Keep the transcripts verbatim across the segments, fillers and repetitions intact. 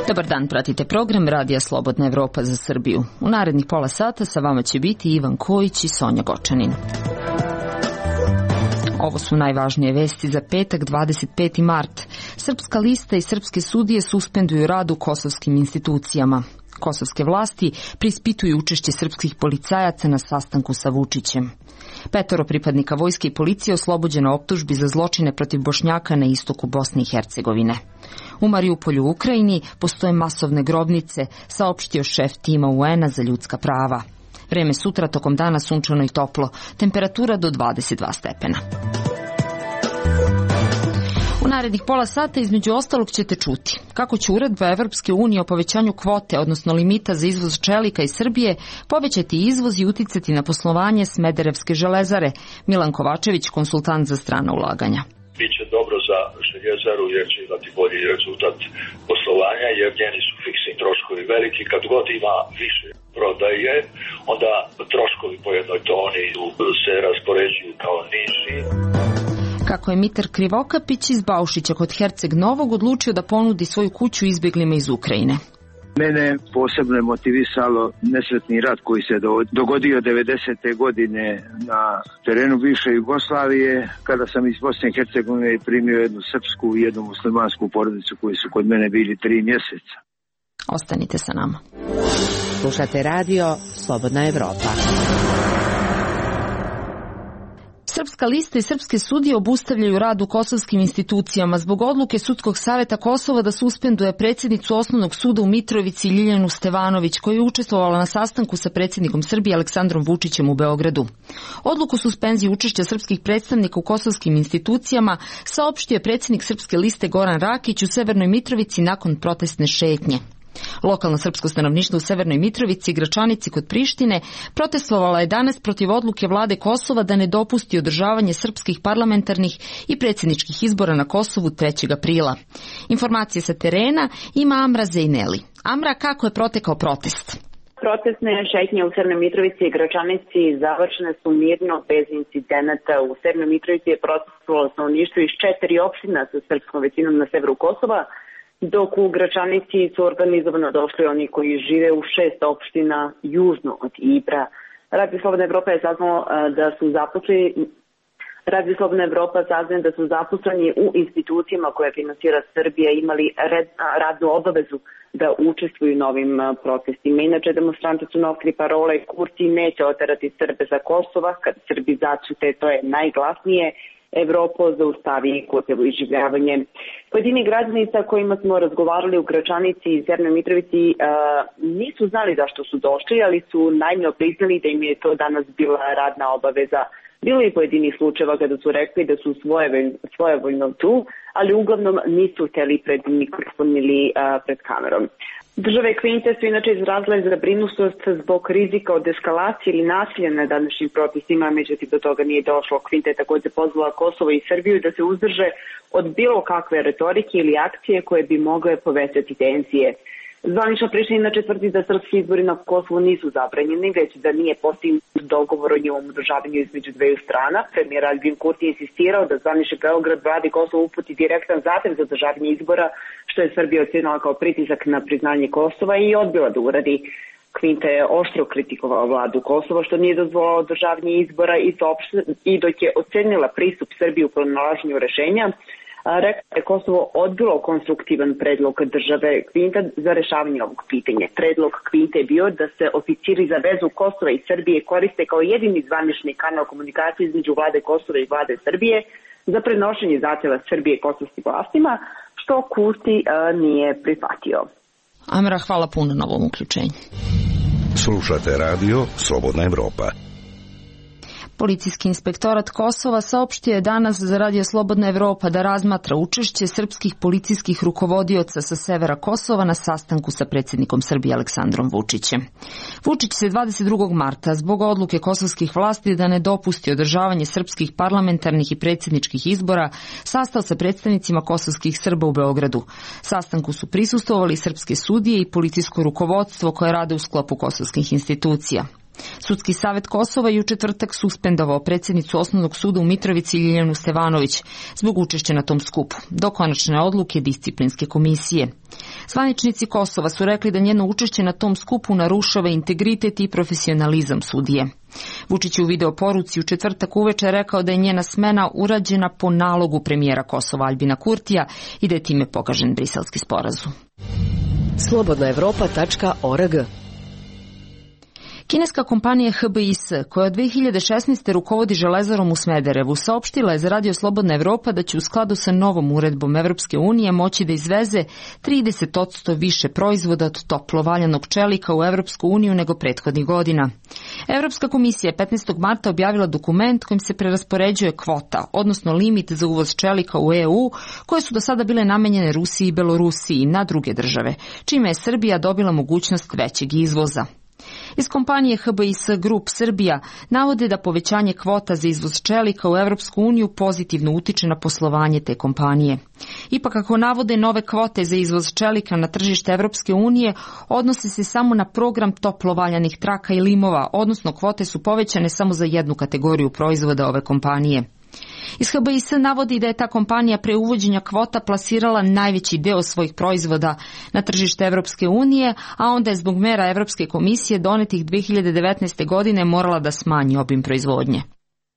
Dobar dan, pratite program Radija Slobodna Evropa za Srbiju. U narednih pola sata sa vama će biti Ivan Kojić i Sonja Gočanin. Ovo su najvažnije vesti za petak dvadeset peti mart. Srpska lista i srpske sudije suspenduju rad u kosovskim institucijama. Kosovske vlasti preispituju učešće srpskih policajaca na sastanku sa Vučićem. Petoro pripadnika vojske i policije oslobođeno optužbi za zločine protiv Bošnjaka na istoku Bosne i Hercegovine. U Mariupolju u Ukrajini postoje masovne grobnice, saopštio šef tima U N-a za ljudska prava. Vreme sutra tokom dana sunčano i toplo, temperatura do dvadeset dva stepena. U narednih pola sata između ostalog ćete čuti kako će uredba Evropske unije o povećanju kvote, odnosno limita za izvoz čelika iz Srbije, povećati izvoz i uticati na poslovanje Smederevske železare. Milan Kovačević, konsultant za strana ulaganja. Biće dobro za željezaru jer će imati bolji rezultat poslovanja jer njeni su fiksni troškovi veliki. Kad god ima više prodaje, onda troškovi po jednoj toni se raspoređuju kao niži. Kako je Mitar Krivokapić iz Baušića kod Herceg Novog odlučio da ponudi svoju kuću izbjeglima iz Ukrajine. Mene posebno je motivisalo nesretni rat koji se dogodio devedesete godine na terenu bivše Jugoslavije, kada sam iz Bosne i Hercegovine primio jednu srpsku i jednu muslimansku porodicu koji su kod mene bili tri mjeseca. Ostanite sa nama. Slušate radio Slobodna Evropa. Srpska lista i srpske sudije obustavljaju rad u kosovskim institucijama zbog odluke Sudskog saveta Kosova da suspenduje predsjednicu Osnovnog suda u Mitrovici Ljiljanu Stevanović, koja je učestvovala na sastanku sa predsjednikom Srbije Aleksandrom Vučićem u Beogradu. Odluku suspenzije učešća srpskih predstavnika u kosovskim institucijama saopštio je predsjednik srpske liste Goran Rakić u Severnoj Mitrovici nakon protestne šetnje. Lokalno srpsko stanovništvo u Severnoj Mitrovici i Gračanici kod Prištine protestovalo je danas protiv odluke vlade Kosova da ne dopusti održavanje srpskih parlamentarnih i predsjedničkih izbora na Kosovu trećeg aprila. Informacije sa terena ima Amra Zejneli. Amra, kako je protekao protest? Protestne šetnje u Severnoj Mitrovici i Gračanici završene su mirno, bez incidenata. U Severnoj Mitrovici je protestovalo stanovništvo iz četiri opština sa srpskom većinom na severu Kosova, dok u Gračanici su organizovano došli oni koji žive u šest opština južno od Ibra. Radio Slobodna Evropa je saznao da su zaposleni Radio Slobodna Evropa saznaje da su zaposleni u institucijama koje finansira Srbija imali red, radnu obavezu da učestvuju u novim protestima. Inače, demonstranti su nosili parole Kurti neće oterati Srbe za Kosova, kad Srbi začute, to je najglasnije, Evropo zaustavi Kurtevo iživljavanje. Pojedini građani sa kojima smo razgovarali u Gračanici i Severnoj Mitrovici uh, nisu znali zašto su došli, ali su naivno priznali da im je to danas bila radna obaveza. Bilo je pojedinih slučajeva kada su rekli da su svojevoljno tu, ali uglavnom nisu htjeli pred mikrofon ili uh, pred kamerom. Države Kvinte su inače izrazile zabrinutost zbog rizika od eskalacije ili nasilja na današnjim protestima, međutim do toga nije došlo. Kvinte je također pozvala Kosovo i Srbiju da se uzdrže od bilo kakve retorike ili akcije koje bi mogle povećati tenzije. Zvanična Priština inače tvrdi da srpski izbori na Kosovu nisu zabranjeni, već da nije postignut dogovor o njihovom održavanju između dveju strana. Premijer Albin Kurti je insistirao da zvanični Beograd vladi Kosovo uputi direktan zahtev za održavanje izbora, što je Srbija ocenila kao pritisak na priznanje Kosova i odbila da uradi. Kvinta je oštro kritikovao vladu Kosova što nije dozvolila održavanje izbora i, to, i dok je ocenila pristup Srbije u pronalaženju rešenja, rekao je Kosovo odbilo konstruktivan predlog države Kvinta za rešavanje ovog pitanja. Predlog Kvinte je bio da se oficiri za vezu Kosova i Srbije koriste kao jedini zvanični kanal komunikacije između vlade Kosova i vlade Srbije za prenošenje zahtjeva Srbije kosovskim vlastima, što Kurti a, nije prihvatio. Amra, hvala puno na ovom uključenju. Slušate radio Slobodna Evropa. Policijski inspektorat Kosova saopštio je danas za Radio Slobodna Evropa da razmatra učešće srpskih policijskih rukovodioca sa severa Kosova na sastanku sa predsjednikom Srbije Aleksandrom Vučićem. Vučić se dvadeset drugog marta zbog odluke kosovskih vlasti da ne dopusti održavanje srpskih parlamentarnih i predsjedničkih izbora sastao sa predstavnicima kosovskih Srba u Beogradu. Sastanku su prisustvovali srpske sudije i policijsko rukovodstvo koje rade u sklopu kosovskih institucija. Sudski savet Kosova je u četvrtak suspendovao predsjednicu Osnovnog suda u Mitrovici Ljiljanu Stevanović zbog učešća na tom skupu, do konačne odluke disciplinske komisije. Zvaničnici Kosova su rekli da njeno učešće na tom skupu narušava integritet i profesionalizam sudije. Vučić je u video poruci u četvrtak uveče rekao da je njena smena urađena po nalogu premijera Kosova Aljbina Kurtija i da je time pogažen Briselski sporazum. slobodna evropa tačka org. Kineska kompanija H B I S, koja od dve hiljade šesnaeste. rukovodi Železarom u Smederevu, saopštila je za Radio Slobodna Evropa da će u skladu sa novom uredbom Evropske unije moći da izveze trideset posto više proizvoda od toplo valjanog čelika u Evropsku uniju nego prethodnih godina. Evropska komisija je petnaestog marta objavila dokument kojim se preraspoređuje kvota, odnosno limit za uvoz čelika u E U, koje su do sada bile namenjene Rusiji i Belorusiji na druge države, čime je Srbija dobila mogućnost većeg izvoza. Iz kompanije H B I S Group Srbija navode da povećanje kvota za izvoz čelika u Evropsku uniju pozitivno utiče na poslovanje te kompanije. Ipak, ako navode nove kvote za izvoz čelika na tržište Evropske unije, odnose se samo na program toplo valjanih traka i limova, odnosno kvote su povećane samo za jednu kategoriju proizvoda ove kompanije. Iz H B I S navodi da je ta kompanija pre uvođenja kvota plasirala najveći deo svojih proizvoda na tržište Evropske unije, a onda je zbog mera Evropske komisije donetih dve hiljade devetnaeste. godine morala da smanji obim proizvodnje.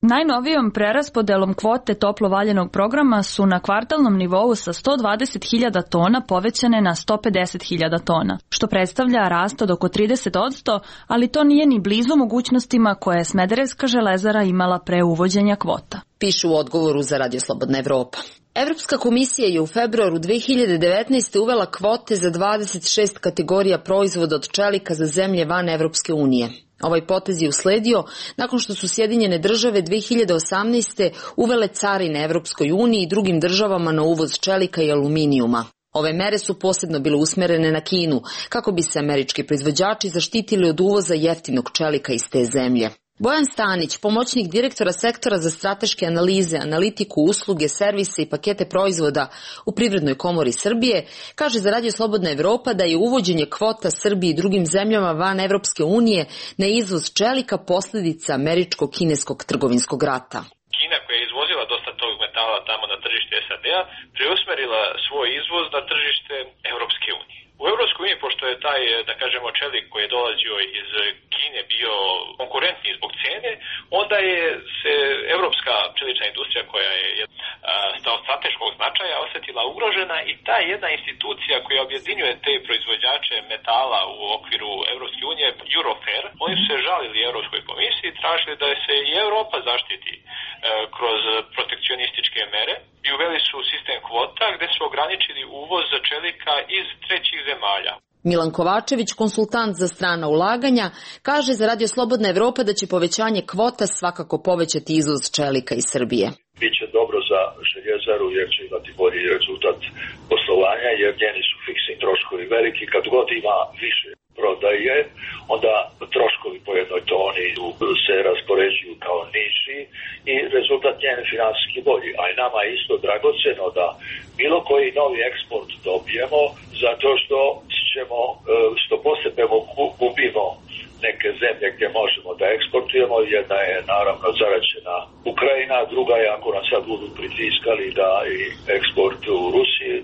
Najnovijom preraspodelom kvote toplo valjanog programa su na kvartalnom nivou sa sto dvadeset hiljada tona povećane na sto pedeset hiljada tona, što predstavlja rast od oko trideset posto, ali to nije ni blizu mogućnostima koje je Smederevska železara imala pre uvođenja kvota. Pišu u odgovoru za Radio Slobodna Evropa. Evropska komisija je u februaru dve hiljade devetnaeste. uvela kvote za dvadeset šest kategorija proizvoda od čelika za zemlje van Evropske unije. Ovaj potez je usledio nakon što su Sjedinjene države dve hiljade osamnaeste. uvele carine Evropskoj uniji i drugim državama na uvoz čelika i aluminijuma. Ove mere su posebno bile usmerene na Kinu, kako bi se američki proizvođači zaštitili od uvoza jeftinog čelika iz te zemlje. Bojan Stanić, pomoćnik direktora sektora za strateške analize, analitiku, usluge, servise i pakete proizvoda u Privrednoj komori Srbije, kaže za Radio Slobodna Evropa da je uvođenje kvota Srbiji i drugim zemljama van Evropske unije na izvoz čelika posljedica američko-kineskog trgovinskog rata. Kina, koja je izvozila dosta tog metala tamo na tržište S A D-a, preusmerila svoj izvoz na tržište Evropske unije. U Evropskoj uniji, pošto je taj, da kažemo, čelik koji je dolazio iz Kine bio konkurentniji zbog cene, onda je se evropska čelična industrija, koja je od strateškog značaja, osjetila ugrožena i ta jedna institucija koja objedinjuje te proizvođače metala u okviru Evropske unije, Eurofer, oni su se žalili Evropskoj komisiji i tražili da se i Evropa zaštiti kroz protekcionističke mere i uveli su sistem kvota gde su ograničili uvoz čelika iz trećih zemalja. Milan Kovačević, konsultant za strana ulaganja, kaže za Radio Slobodna Evropa da će povećanje kvota svakako povećati izvoz čelika iz Srbije. Biće dobro za željezaru jer će imati bolji rezultat poslovanja jer njeni su fiksni troškovi veliki. Kad god ima više prodaje, onda troškovi po jednoj toni se raspoređuju kao niži i rezultat njen finansijski bolji. A i nama je isto dragoceno da bilo koji novi eksport dobijemo zato što ćemo, što postepeno gubimo neke zemlje gdje možemo da eksportujemo. Jedna je naravno zaraćena Ukrajina, druga je ako nas sad budu pritiskali da i eksport u Rusiji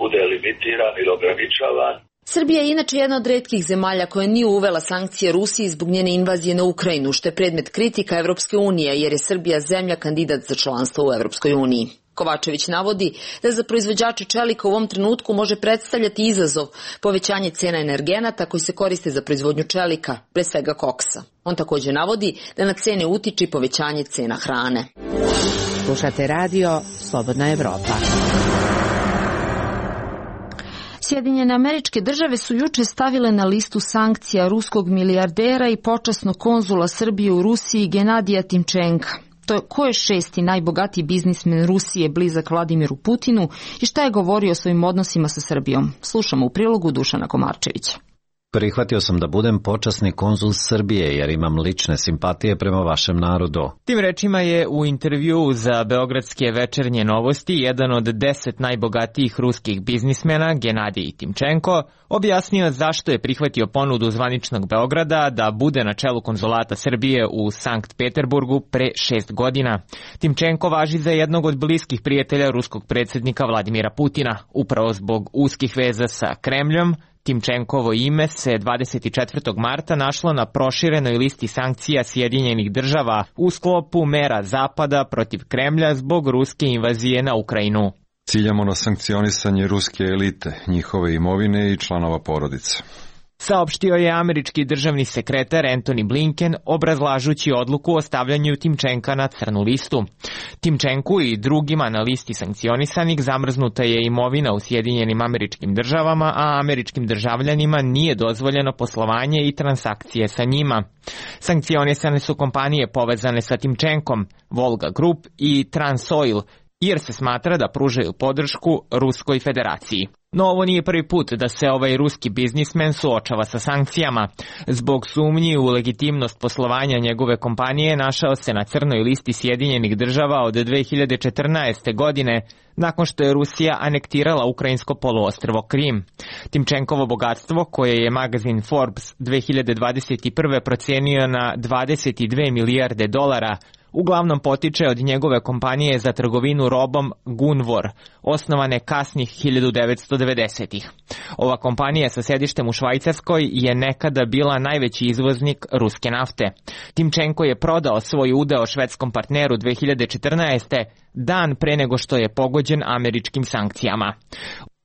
bude limitiran ili ograničavan. Srbija je inače jedna od retkih zemalja koja nije uvela sankcije Rusiji zbog njene invazije na Ukrajinu, što je predmet kritika Evropske unije, jer je Srbija zemlja kandidat za članstvo u Evropskoj uniji. Kovačević navodi da za proizvođače čelika u ovom trenutku može predstavljati izazov povećanje cena energenata koji se koriste za proizvodnju čelika, pre svega koksa. On također navodi da na cene utiče povećanje cena hrane. Slušate radio Slobodna Evropa. Sjedinjene Američke Države su juče stavile na listu sankcija ruskog milijardera i počasnog konzula Srbije u Rusiji Genadija Timčenka. To je ko je šesti najbogatiji biznismen Rusije blizak Vladimiru Putinu i šta je govorio o svojim odnosima sa Srbijom. Slušamo u prilogu Dušana Komarčevića. Prihvatio sam da budem počasni konzul Srbije jer imam lične simpatije prema vašem narodu. Tim rečima je u intervjuu za Beogradske večernje novosti jedan od deset najbogatijih ruskih biznismena, Genadij Timčenko, objasnio zašto je prihvatio ponudu zvaničnog Beograda da bude na čelu konzulata Srbije u Sankt Peterburgu pre šest godina. Timčenko važi za jednog od bliskih prijatelja ruskog predsjednika Vladimira Putina. Upravo zbog uskih veza sa Kremljom, Timčenkovo ime se dvadeset četvrtog marta našlo na proširenoj listi sankcija Sjedinjenih država u sklopu mera Zapada protiv Kremlja zbog ruske invazije na Ukrajinu. Ciljamo na sankcionisanje ruske elite, njihove imovine i članova porodice. Saopštio je američki državni sekretar Antony Blinken obrazlažući odluku o stavljanju Timčenka na crnu listu. Timčenku i drugima na listi sankcionisanih zamrznuta je imovina u Sjedinjenim američkim državama, a američkim državljanima nije dozvoljeno poslovanje i transakcije sa njima. Sankcionisane su kompanije povezane sa Timčenkom, Volga Group i Transoil, jer se smatra da pružaju podršku Ruskoj federaciji. No ovo nije prvi put da se ovaj ruski biznismen suočava sa sankcijama. Zbog sumnji u legitimnost poslovanja njegove kompanije našao se na crnoj listi Sjedinjenih država od dve hiljade četrnaeste. godine, nakon što je Rusija anektirala ukrajinsko poluostrvo Krim. Timčenkovo bogatstvo, koje je magazin Forbes dve hiljade dvadeset prve. procenio na dvadeset dve milijarde dolara, uglavnom potiče od njegove kompanije za trgovinu robom Gunvor, osnovane kasnih hiljadu devetsto devedesetih. Ova kompanija sa sedištem u Švajcarskoj je nekada bila najveći izvoznik ruske nafte. Timčenko je prodao svoj udeo švedskom partneru dve hiljade četrnaeste. dan pre nego što je pogođen američkim sankcijama.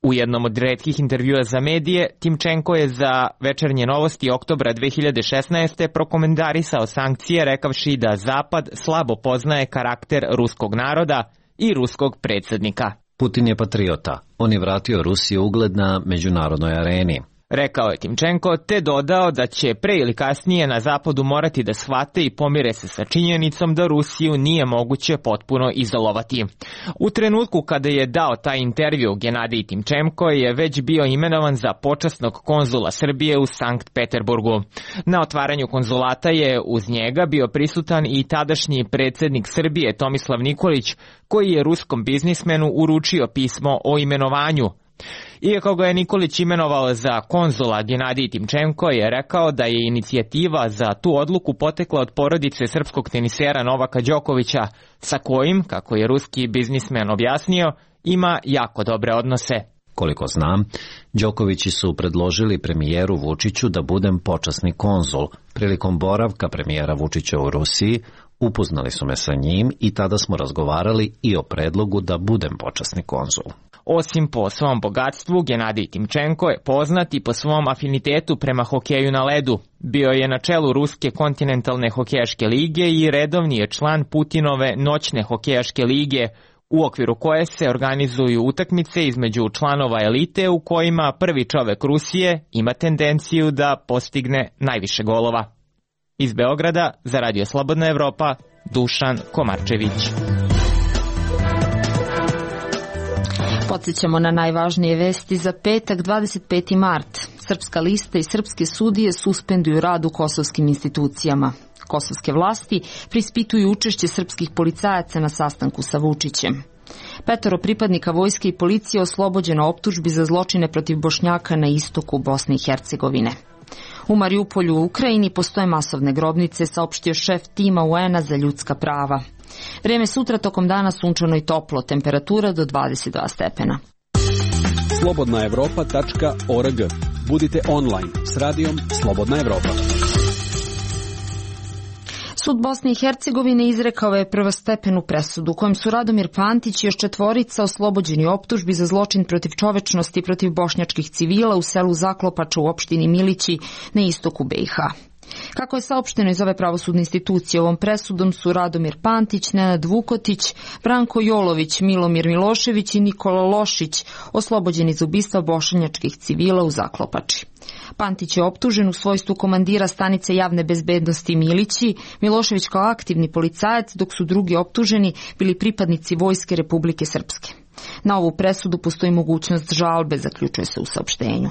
U jednom od retkih intervjua za medije, Timčenko je za večernje novosti oktobra dve hiljade šesnaeste. prokomentarisao sankcije rekavši da Zapad slabo poznaje karakter ruskog naroda i ruskog predsjednika. Putin je patriota. On je vratio Rusiji ugled na međunarodnoj areni. Rekao je Timčenko, te dodao da će pre ili kasnije na Zapadu morati da shvate i pomire se sa činjenicom da Rusiju nije moguće potpuno izolovati. U trenutku kada je dao taj intervju, Genadij Timčenko je već bio imenovan za počasnog konzula Srbije u Sankt Peterburgu. Na otvaranju konzulata je uz njega bio prisutan i tadašnji predsjednik Srbije Tomislav Nikolić, koji je ruskom biznismenu uručio pismo o imenovanju. Iako ga je Nikolić imenovao za konzula, Genadij Timčenko je rekao da je inicijativa za tu odluku potekla od porodice srpskog tenisera Novaka Đokovića, sa kojim, kako je ruski biznismen objasnio, ima jako dobre odnose. Koliko znam, Đokovići su predložili premijeru Vučiću da budem počasni konzul. Prilikom boravka premijera Vučića u Rusiji, upoznali su me sa njim i tada smo razgovarali i o predlogu da budem počasni konzul. Osim po svom bogatstvu, Genadij Timčenko je poznat i po svom afinitetu prema hokeju na ledu. Bio je na čelu Ruske kontinentalne hokejaške lige i redovni je član Putinove noćne hokejaške lige, u okviru koje se organizuju utakmice između članova elite u kojima prvi čovek Rusije ima tendenciju da postigne najviše golova. Iz Beograda za Radio Slobodna Evropa, Dušan Komarčević. Podsjećamo na najvažnije vesti za petak dvadeset peti mart. Srpska lista i srpske sudije suspenduju rad u kosovskim institucijama. Kosovske vlasti preispituju učešće srpskih policajaca na sastanku sa Vučićem. Petoro pripadnika vojske i policije oslobođeno optužbi za zločine protiv Bošnjaka na istoku Bosne i Hercegovine. U Mariupolju u Ukrajini postoje masovne grobnice, saopštio šef tima U N-a za ljudska prava. Vreme sutra tokom dana sunčano i toplo, temperatura do dvadeset dva stepena. slobodna evropa tačka org. Budite online s radijom Slobodna Evropa. Sud Bosne i Hercegovine izrekao je prvostepenu presudu kojem su Radomir Pantić i još četvorica oslobođeni optužbi za zločin protiv čovečnosti protiv bošnjačkih civila u selu Zaklopača u opštini Milići na istoku B i H. Kako je saopšteno iz ove pravosudne institucije, ovom presudom su Radomir Pantić, Nenad Vukotić, Branko Jolović, Milomir Milošević i Nikola Lošić oslobođeni za ubistva bošnjačkih civila u Zaklopači. Pantić je optužen u svojstvu komandira stanice javne bezbednosti Milići, Milošević kao aktivni policajac, dok su drugi optuženi bili pripadnici Vojske Republike Srpske. Na ovu presudu postoji mogućnost žalbe, zaključuje se u saopštenju.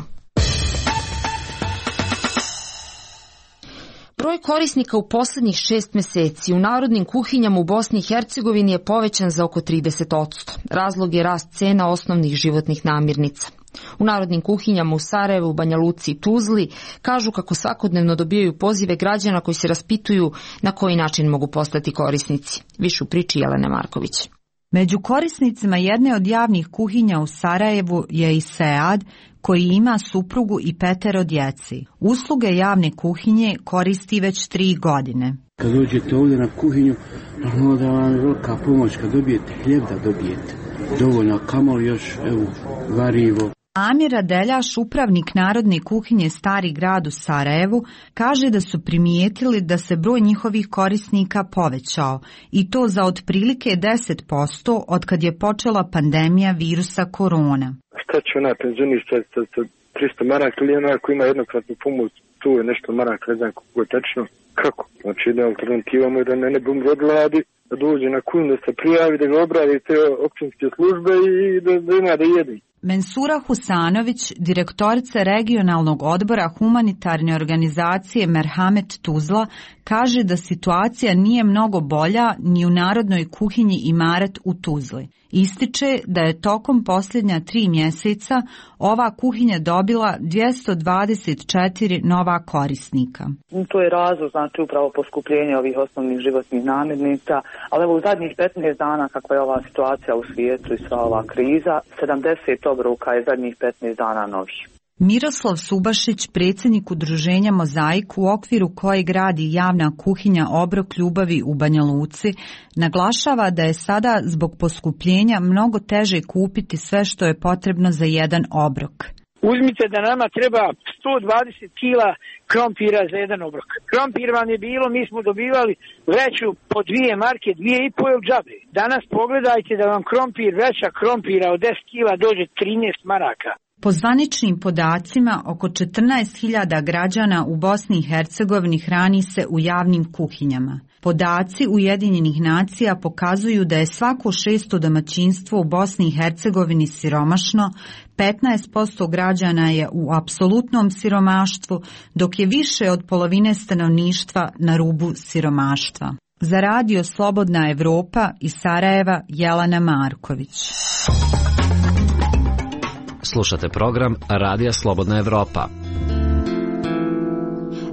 Broj korisnika u poslednjih šest meseci u narodnim kuhinjama u Bosni i Hercegovini je povećan za oko trideset posto. Razlog je rast cena osnovnih životnih namirnica. U narodnim kuhinjama u Sarajevu, Banja Luci i Tuzli kažu kako svakodnevno dobijaju pozive građana koji se raspituju na koji način mogu postati korisnici. Više u priči Jelene Marković. Među korisnicima jedne od javnih kuhinja u Sarajevu je i Sead, koji ima suprugu i petero djeci. Usluge javne kuhinje koristi već tri godine. Kad dođete ovdje na kuhinju, normalno da vam je velika pomoć kad dobijete hljeb, da dobijete dovoljno, kamoli još, evo, varivo. Amir Radeljaš, upravnik Narodne kuhinje Stari grad u Sarajevu, kaže da su primijetili da se broj njihovih korisnika povećao i to za otprilike deset posto od kad je počela pandemija virusa korona. Šta će ona penzionista sa tristo maraka ili ona ako ima jednokratnu pomoć, tu je nešto maraka, ne znam kako je tačno. Kako? Znači jedna alternativa mu je da ne, ne bum od vladi, da dođe na kuhinju, da se prijavi, da ga obradi te općinske službe i da, da ima da jedi. Mensura Husanović, direktorica regionalnog odbora humanitarne organizacije Merhamet Tuzla, kaže da situacija nije mnogo bolja ni u Narodnoj kuhinji Imaret u Tuzli. Ističe da je tokom posljednja tri mjeseca ova kuhinja dobila dvjesto dvadeset četiri nova korisnika. To je razlog, znači upravo poskupljenje ovih osnovnih životnih namirnica, ali evo u zadnjih petnaest dana kakva je ova situacija u svijetu i sva ova kriza, sedamdeset obroka je zadnjih petnaest dana novih. Miroslav Subašić, predsjednik udruženja Mozaik u okviru kojeg radi javna kuhinja Obrok ljubavi u Banja Luci, naglašava da je sada zbog poskupljenja mnogo teže kupiti sve što je potrebno za jedan obrok. Uzmite da nama treba sto dvadeset kila krompira za jedan obrok. Krompir vam je bilo, mi smo dobivali vreću po dvije marke, dvije i pol džabe. Danas pogledajte da vam krompir, vreća krompira od deset kila dođe trinaest maraka. Po zvaničnim podacima, oko četrnaest hiljada građana u Bosni i Hercegovini hrani se u javnim kuhinjama. Podaci Ujedinjenih nacija pokazuju da je svako šesto domaćinstvo u Bosni i Hercegovini siromašno, petnaest posto građana je u apsolutnom siromaštvu, dok je više od polovine stanovništva na rubu siromaštva. Za radio Slobodna Evropa iz Sarajeva, Jelena Marković. Slušate program Radija Slobodna Evropa.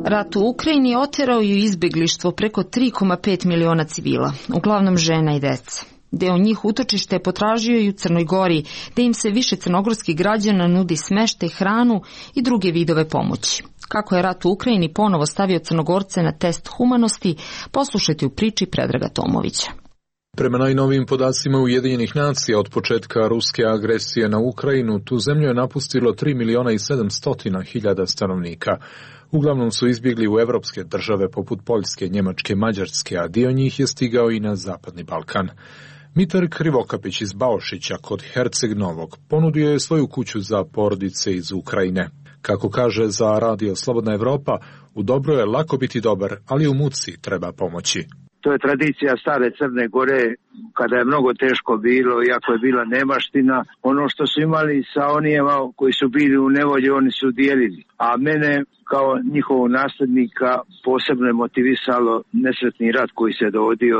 Rat u Ukrajini oterao je izbjeglištvo preko tri zarez pet miliona civila, uglavnom žena i deca. Deo njih utočište je potražio i u Crnoj Gori, da im se više crnogorskih građana nudi smeštaj, hranu i druge vidove pomoći. Kako je rat u Ukrajini ponovo stavio Crnogorce na test humanosti, poslušajte u priči Predraga Tomovića. Prema najnovijim podacima Ujedinjenih nacija od početka ruske agresije na Ukrajinu, tu zemlju je napustilo tri miliona i sedamsto hiljada stanovnika. Uglavnom su izbjegli u evropske države poput Poljske, Njemačke, Mađarske, a dio njih je stigao i na Zapadni Balkan. Mitar Krivokapić iz Baošića kod Herceg Novog ponudio je svoju kuću za porodice iz Ukrajine. Kako kaže za radio Slobodna Evropa, u dobro je lako biti dobar, ali u muci treba pomoći. To je tradicija stare Crne Gore, kada je mnogo teško bilo, iako je bila nemaština. Ono što su imali sa onijema koji su bili u nevolji, oni su dijelili. A mene kao njihovog nasljednika posebno je motivisalo nesretni rat koji se dogodio,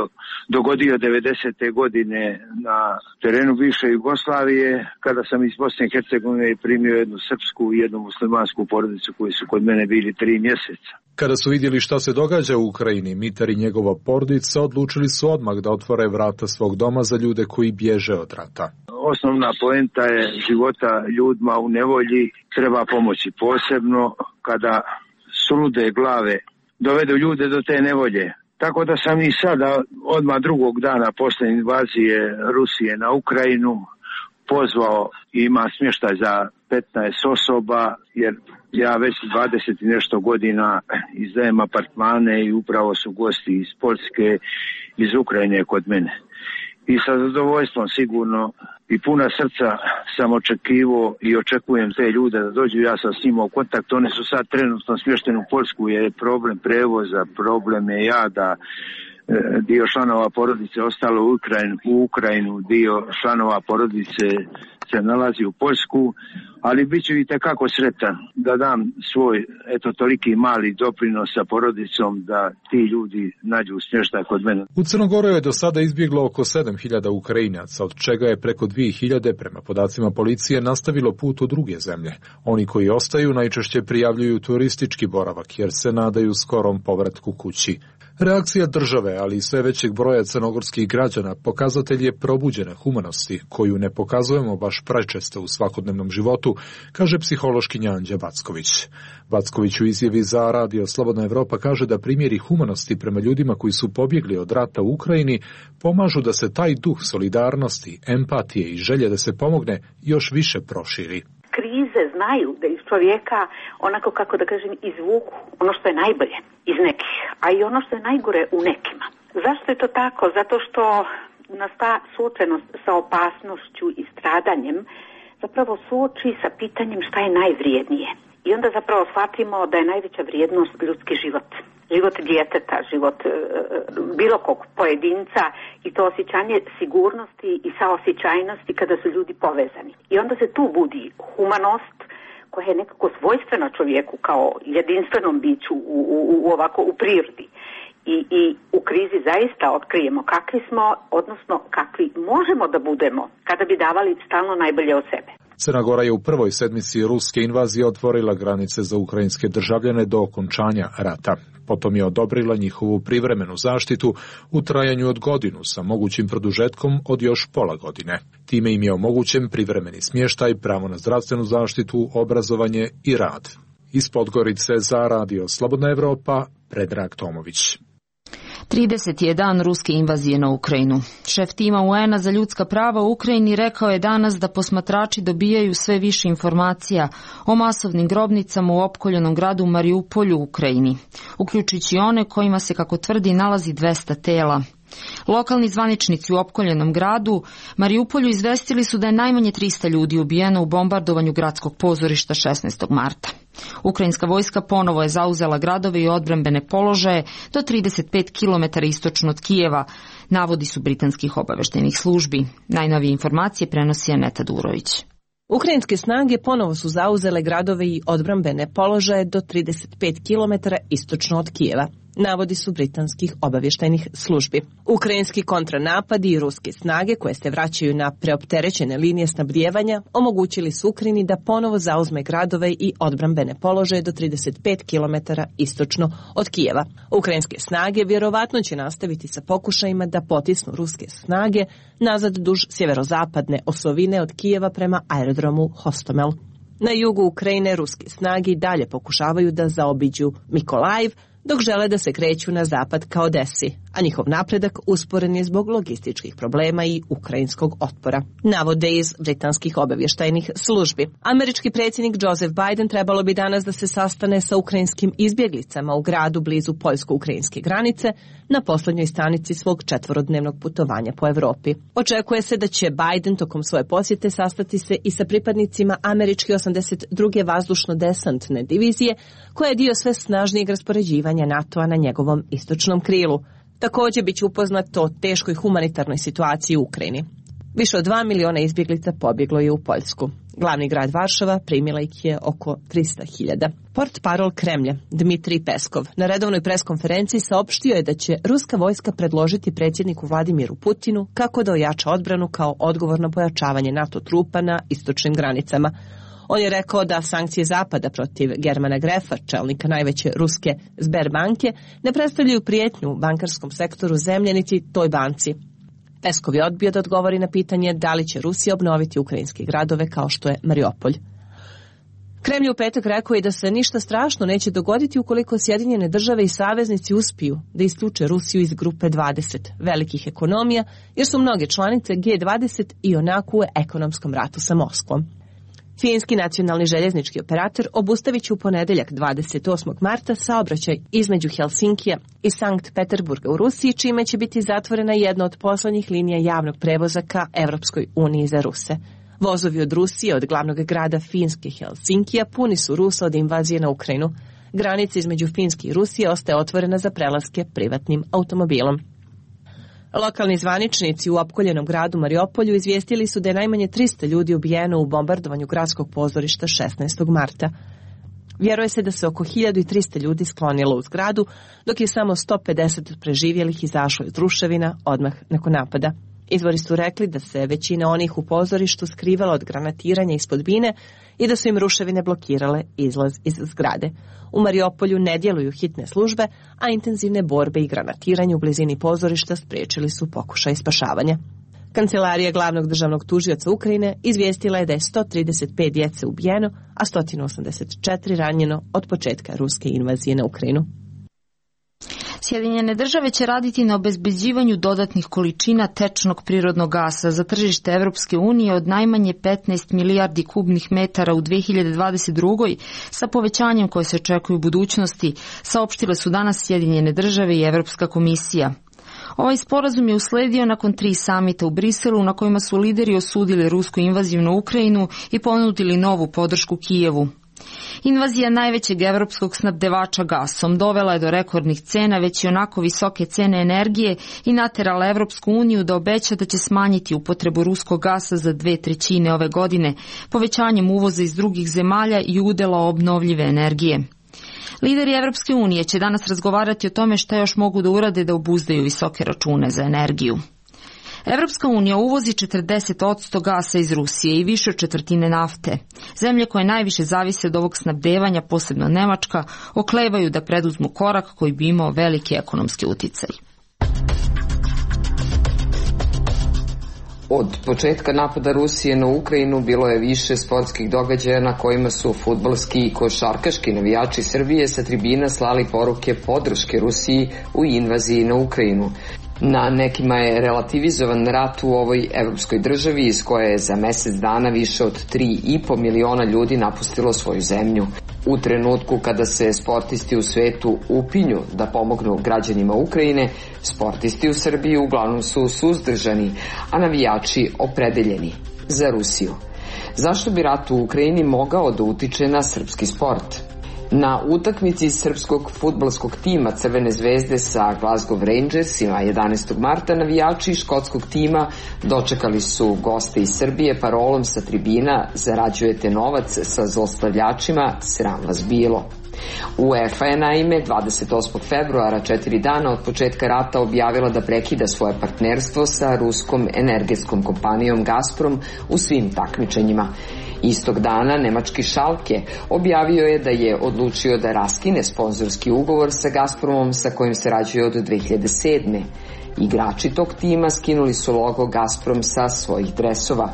dogodio devedesete godine na terenu bivše Jugoslavije, kada sam iz Bosne i Hercegovine primio jednu srpsku i jednu muslimansku porodicu koji su kod mene bili tri mjeseca. Kada su vidjeli šta se događa u Ukrajini, Mitar i njegova porodica odlučili su odmah da otvore vrata svog doma za ljude koji bježe od rata. Osnovna poenta je života ljudima u nevolji, treba pomoći posebno kada sulude glave dovedu ljude do te nevolje. Tako da sam i sada, odmah drugog dana posle invazije Rusije na Ukrajinu, pozvao i ima smještaj za petnaest osoba, jer ja već dvadeset i nešto godina izdajem apartmane i upravo su gosti iz Poljske, iz Ukrajine kod mene. I sa zadovoljstvom sigurno i puna srca sam očekivao i očekujem te ljude da dođu, ja sam s njima u kontakt. Oni su sad trenutno smješteni u Poljsku jer je problem prevoza, problem je jada, dio članova porodice ostalo u Ukrajinu, u Ukrajinu, dio članova porodice se nalazi u Poljsku, ali bit ću i tekako sretan da dam svoj, eto, toliki mali doprinos sa porodicom da ti ljudi nađu smještaj kod mene. U Crnogoru je do sada izbjeglo oko sedam hiljada Ukrajinaca, od čega je preko dvije hiljade, prema podacima policije, nastavilo put u druge zemlje. Oni koji ostaju najčešće prijavljuju turistički boravak, jer se nadaju skorom povratku kući. Reakcija države, ali i sve većeg broja crnogorskih građana, pokazatelj je probuđene humanosti, koju ne pokazujemo baš prečesto u svakodnevnom životu, kaže psihološkinja Anđa Backović. Backović u izjavi za Radio Slobodna Evropa kaže da primjeri humanosti prema ljudima koji su pobjegli od rata u Ukrajini pomažu da se taj duh solidarnosti, empatije i želje da se pomogne još više proširi. Krize znaju da iz čovjeka, onako kako da kažem, izvuku ono što je najbolje iz nekih, a i ono što je najgore u nekima. Zašto je to tako? Zato što nas ta suočenost sa opasnošću i stradanjem zapravo suoči sa pitanjem šta je najvrijednije. I onda zapravo shvatimo da je najveća vrijednost ljudski život. Život djeteta, život e, bilo kog pojedinca i to osjećanje sigurnosti i saosjećajnosti kada su ljudi povezani. I onda se tu budi humanost koja je nekako svojstvena čovjeku kao jedinstvenom biću u, u, u ovako u prirodi. I, I u krizi zaista otkrijemo kakvi smo, odnosno kakvi možemo da budemo kada bi davali stalno najbolje od sebe. Crna Gora je u prvoj sedmici ruske invazije otvorila granice za ukrajinske državljane do okončanja rata. Potom je odobrila njihovu privremenu zaštitu u trajanju od godinu sa mogućim produžetkom od još pola godine. Time im je omogućen privremeni smještaj, pravo na zdravstvenu zaštitu, obrazovanje i rad. Iz Podgorice za Radio Slobodna Evropa, Predrag Tomović. trideseti je dan ruske invazije na Ukrajinu. Šef tima U N-a za ljudska prava u Ukrajini rekao je danas da posmatrači dobijaju sve više informacija o masovnim grobnicama u opkoljenom gradu Mariupolju u Ukrajini, uključujući one kojima se, kako tvrdi, nalazi dvesta tela. Lokalni zvaničnici u opkoljenom gradu Mariupolju izvestili su da je najmanje trista ljudi ubijeno u bombardovanju gradskog pozorišta šesnaestog marta. Ukrajinska vojska ponovo je zauzela gradove i odbrambene položaje do trideset pet kilometara istočno od Kijeva, navodi su britanskih obaveštajnih službi. Najnovije informacije prenosi Aneta Durović. Ukrajinske snage ponovo su zauzele gradove i odbrambene položaje do trideset pet kilometara istočno od Kijeva, navodi su britanskih obavještajnih službi. Ukrajinski kontranapadi i ruske snage koje se vraćaju na preopterećene linije snabdijevanja omogućili su Ukrajini da ponovo zauzme gradove i odbrambene položaje do trideset pet kilometara istočno od Kijeva. Ukrajinske snage vjerovatno će nastaviti sa pokušajima da potisnu ruske snage nazad duž sjeverozapadne osovine od Kijeva prema aerodromu Hostomel. Na jugu Ukrajine ruske snage i dalje pokušavaju da zaobiđu Mikolajiv, dok žele da se kreću na zapad ka Odesi, a njihov napredak usporen je zbog logističkih problema i ukrajinskog otpora, navode iz britanskih obavještajnih službi. Američki predsjednik Joseph Biden trebalo bi danas da se sastane sa ukrajinskim izbjeglicama u gradu blizu poljsko-ukrajinske granice na posljednjoj stanici svog četvorodnevnog putovanja po Evropi. Očekuje se da će Biden tokom svoje posjete sastati se i sa pripadnicima američke osamdeset druge vazdušno-desantne divizije, koja je dio sve snažnijeg raspoređivanja NATO-a na njegovom istočnom krilu. Također bit će upoznat o teškoj humanitarnoj situaciji u Ukrajini. Više od dva miliona izbjeglica pobjeglo je u Poljsku. Glavni grad Varšava primila ih je oko trista hiljada. Portparol Kremlja Dmitrij Peskov na redovnoj preskonferenciji saopštio je da će ruska vojska predložiti predsjedniku Vladimiru Putinu kako da ojača odbranu kao odgovor na pojačavanje NATO trupa na istočnim granicama. On je rekao da sankcije Zapada protiv Germana Grefa, čelnika najveće ruske Sberbanke, ne predstavljaju prijetnju u bankarskom sektoru zemlje niti toj banci. Peskov je odbio da odgovori na pitanje da li će Rusija obnoviti ukrajinske gradove kao što je Mariupolj. Kremlj u petak rekao je da se ništa strašno neće dogoditi ukoliko Sjedinjene države i saveznici uspiju da isključe Rusiju iz grupe dvadeset velikih ekonomija, jer su mnoge članice G dvadeset i onako u ekonomskom ratu sa Moskvom. Finski nacionalni željeznički operator obustavit će u ponedeljak dvadeset osmog marta saobraćaj između Helsinkija i Sankt Peterburga u Rusiji, čime će biti zatvorena jedna od poslednjih linija javnog prevoza ka Evropskoj uniji za Ruse. Vozovi od Rusije, od glavnog grada Finske Helsinkija, puni su Rusa od invazije na Ukrajinu. Granica između Finske i Rusije ostaje otvorena za prelaske privatnim automobilom. Lokalni zvaničnici u opkoljenom gradu Mariupolju izvijestili su da je najmanje trista ljudi ubijeno u bombardovanju gradskog pozorišta šesnaestog marta. Vjeruje se da se oko hiljadu trista ljudi sklonilo u zgradu, dok je samo sto pedeset preživjelih izašlo iz ruševina odmah nakon napada. Izvori su rekli da se većina onih u pozorištu skrivala od granatiranja ispod bine i da su im ruševine blokirale izlaz iz zgrade. U Mariupolju ne djeluju hitne službe, a intenzivne borbe i granatiranje u blizini pozorišta spriječili su pokušaj spašavanja. Kancelarija glavnog državnog tužioca Ukrajine izvijestila je da je sto trideset pet djece ubijeno, a sto osamdeset četiri ranjeno od početka ruske invazije na Ukrajinu. Sjedinjene države će raditi na obezbeđivanju dodatnih količina tečnog prirodnog gasa za tržište Evropske unije od najmanje petnaest milijardi kubnih metara u dve hiljade dvadeset drugoj sa povećanjem koje se očekuje u budućnosti, saopštile su danas Sjedinjene države i Evropska komisija. Ovaj sporazum je usledio nakon tri samita u Briselu na kojima su lideri osudili rusku invaziju na Ukrajinu i ponudili novu podršku Kijevu. Invazija najvećeg evropskog snabdevača gasom dovela je do rekordnih cena, već i onako visoke cene energije, i naterala Evropsku uniju da obeća da će smanjiti upotrebu ruskog gasa za dve trećine ove godine, povećanjem uvoza iz drugih zemalja i udela obnovljive energije. Lideri Evropske unije će danas razgovarati o tome šta još mogu da urade da obuzdaju visoke račune za energiju. Evropska unija uvozi četrdeset posto gasa iz Rusije i više od četvrtine nafte. Zemlje koje najviše zavise od ovog snabdevanja, posebno Nemačka, oklevaju da preduzmu korak koji bi imao veliki ekonomski uticaj. Od početka napada Rusije na Ukrajinu bilo je više sportskih događaja na kojima su fudbalski i košarkaški navijači Srbije sa tribina slali poruke podrške Rusiji u invaziji na Ukrajinu. Na nekima je relativizovan rat u ovoj evropskoj državi iz koje je za mjesec dana više od tri i po miliona ljudi napustilo svoju zemlju. U trenutku kada se sportisti u svetu upinju da pomognu građanima Ukrajine, sportisti u Srbiji uglavnom su suzdržani, a navijači opredeljeni za Rusiju. Zašto bi rat u Ukrajini mogao da utiče na srpski sport? Na utakmici srpskog fudbalskog tima Crvene zvezde sa Glasgow Rangersima jedanaestog marta navijači škotskog tima dočekali su goste iz Srbije parolom sa tribina "Zarađujete novac sa zlostavljačima, sram vas bilo". UEFA je naime dvadeset osmog februara, četiri dana od početka rata, objavila da prekida svoje partnerstvo sa ruskom energetskom kompanijom Gazprom u svim takmičenjima. Istog dana nemački Schalke objavio je da je odlučio da raskine sponzorski ugovor sa Gazpromom sa kojim se rađuje od dve hiljade sedme. Igrači tog tima skinuli su logo Gazprom sa svojih dresova.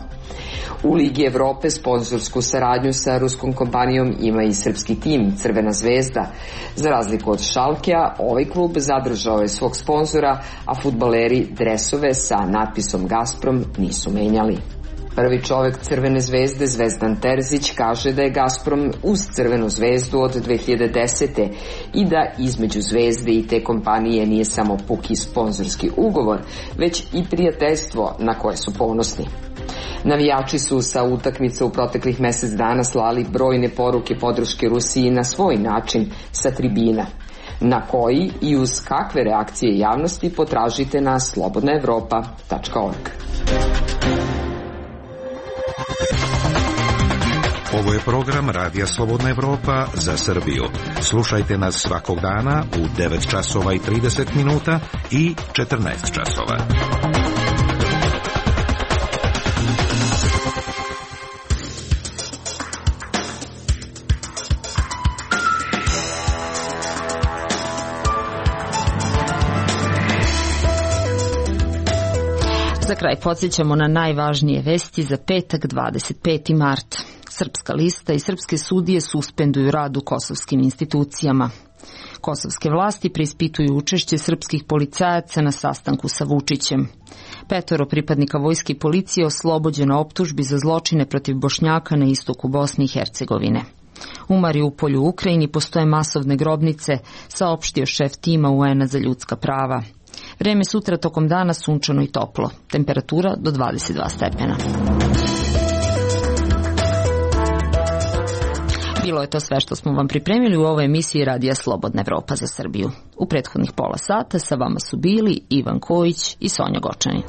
U Ligi Evrope sponzorsku saradnju sa ruskom kompanijom ima i srpski tim Crvena zvezda. Za razliku od Schalkea, ovaj klub zadržao je svog sponzora, a fudbaleri dresove sa natpisom Gazprom nisu menjali. Prvi čovjek Crvene zvezde, Zvezdan Terzić, kaže da je Gazprom uz Crvenu zvezdu od dve hiljade desete. i da između zvezde i te kompanije nije samo puki sponzorski ugovor, već i prijateljstvo na koje su ponosni. Navijači su sa utakmice u proteklih mjesec dana slali brojne poruke podrške Rusiji na svoj način sa tribina. Na koji i uz kakve reakcije javnosti potražite na slobodna evropa tačka org. Ovo je program Radija Slobodna Evropa za Srbiju. Slušajte nas svakog dana u devet časova i trideset minuta i četrnaest časova. Za kraj podsjećamo na najvažnije vesti za petak dvadeset peti mart. Srpska lista i srpske sudije suspenduju rad u kosovskim institucijama. Kosovske vlasti preispituju učešće srpskih policajaca na sastanku sa Vučićem. Petoro pripadnika vojske i policije oslobođeno optužbi za zločine protiv Bošnjaka na istoku Bosne i Hercegovine. U Mariupolju u Ukrajini postoje masovne grobnice, saopštio šef tima U N-a za ljudska prava. Vreme sutra tokom dana sunčano i toplo. Temperatura do dvadeset dva stepena. Bilo je to sve što smo vam pripremili u ovoj emisiji Radija Slobodna Evropa za Srbiju. U prethodnih pola sata sa vama su bili Ivan Kojić i Sonja Gočani.